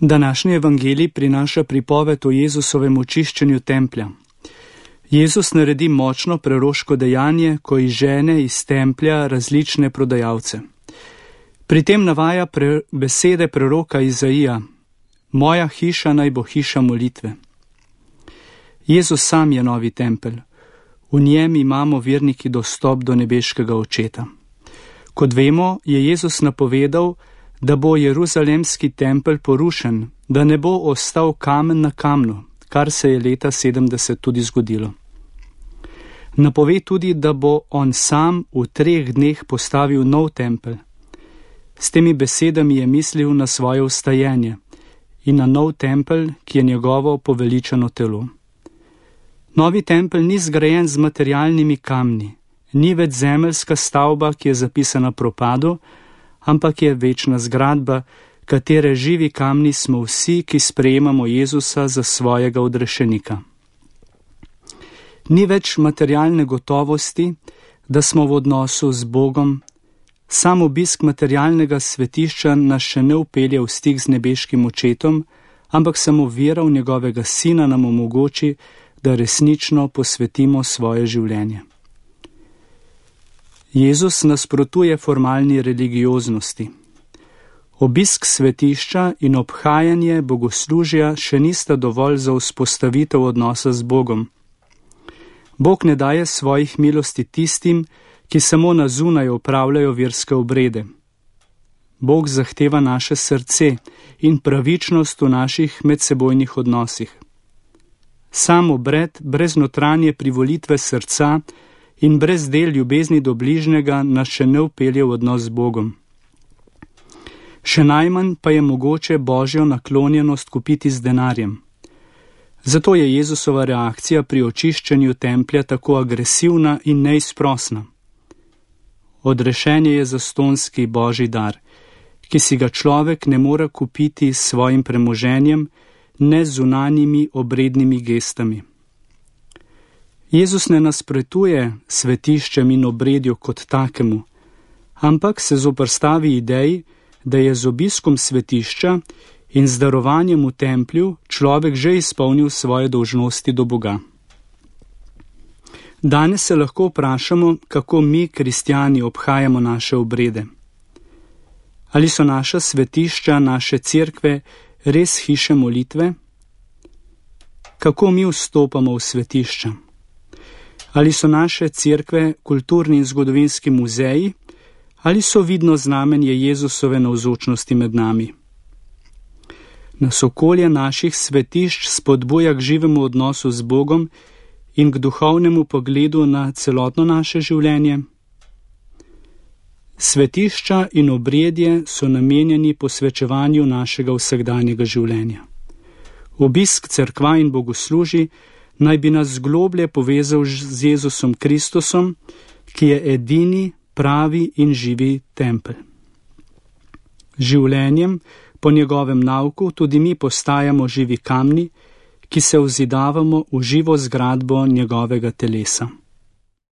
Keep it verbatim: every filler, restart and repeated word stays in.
Današnji evangelij prinaša pripoved o Jezusovem očiščenju templja. Jezus naredi močno preroško dejanje, ko izžene iz templja različne prodajalce. Pri tem navaja pre besede preroka Izaija: Moja hiša naj bo hiša molitve. Jezus sam je novi tempelj. V njem imamo verniki dostop do nebeškega Očeta. Kot vemo, je Jezus napovedal, da bo jeruzalemski tempelj porušen, da ne bo ostal kamen na kamnu, kar se je leta sedemdeset tudi zgodilo. Napove tudi, da bo on sam v treh dneh postavil nov tempelj. S temi besedami je mislil na svoje vstajenje in na nov tempelj, ki je njegovo poveličano telo. Novi tempelj ni zgrajen z materialnimi kamni, ni več zemeljska stavba, ki je zapisana propadu, ampak je večna zgradba, katere živi kamni smo vsi, ki sprejemamo Jezusa za svojega odrešenika. Ni več materialne gotovosti, da smo v odnosu z Bogom. Sam obisk materialnega svetišča nas še ne vpelje v stik z nebeškim Očetom, ampak samo vera v njegovega Sina nam omogoči, da resnično posvetimo svoje življenje. Jezus nasprotuje formalni religioznosti. Obisk svetišča in obhajanje bogoslužja še nista dovolj za vzpostavitev odnosa z Bogom. Bog ne daje svojih milosti tistim, ki samo na zunaj opravljajo verske obrede. Bog zahteva naše srce in pravičnost v naših medsebojnih odnosih. Sam obred brez notranje privolitve srca in brez del ljubezni do bližnjega nas še ne vpelje v odnos z Bogom. Še najmanj pa je mogoče Božjo naklonjenost kupiti z denarjem. Zato je Jezusova reakcija pri očiščenju templja tako agresivna in neizprosna. Odrešenje je zastonski Božji dar, ki si ga človek ne more kupiti s svojim premoženjem, ne z zunanjimi obrednimi gestami. Jezus ne nasprotuje svetiščem in obredju kot takemu, ampak se zoperstavi ideji, da je z obiskom svetišča in z darovanjem v templju človek že izpolnil svoje dolžnosti do Boga. Danes se lahko vprašamo, kako mi, kristjani, obhajamo naše obrede. Ali so naša svetišča, naše cerkve res hiše molitve? Kako mi vstopamo v svetišča? Ali so naše cerkve kulturni in zgodovinski muzeji, ali so vidno znamenje Jezusove navzočnosti med nami? Nas okolje naših svetišč spodbuja k živemu odnosu z Bogom in k duhovnemu pogledu na celotno naše življenje? Svetišča in obredje so namenjeni posvečevanju našega vsakdanjega življenja. Obisk cerkva in bogoslužij naj bi nas globlje povezal z Jezusom Kristusom, ki je edini, pravi in živi tempelj. Življenjem po njegovem nauku tudi mi postajamo živi kamni, ki se vzidavamo v živo zgradbo njegovega telesa.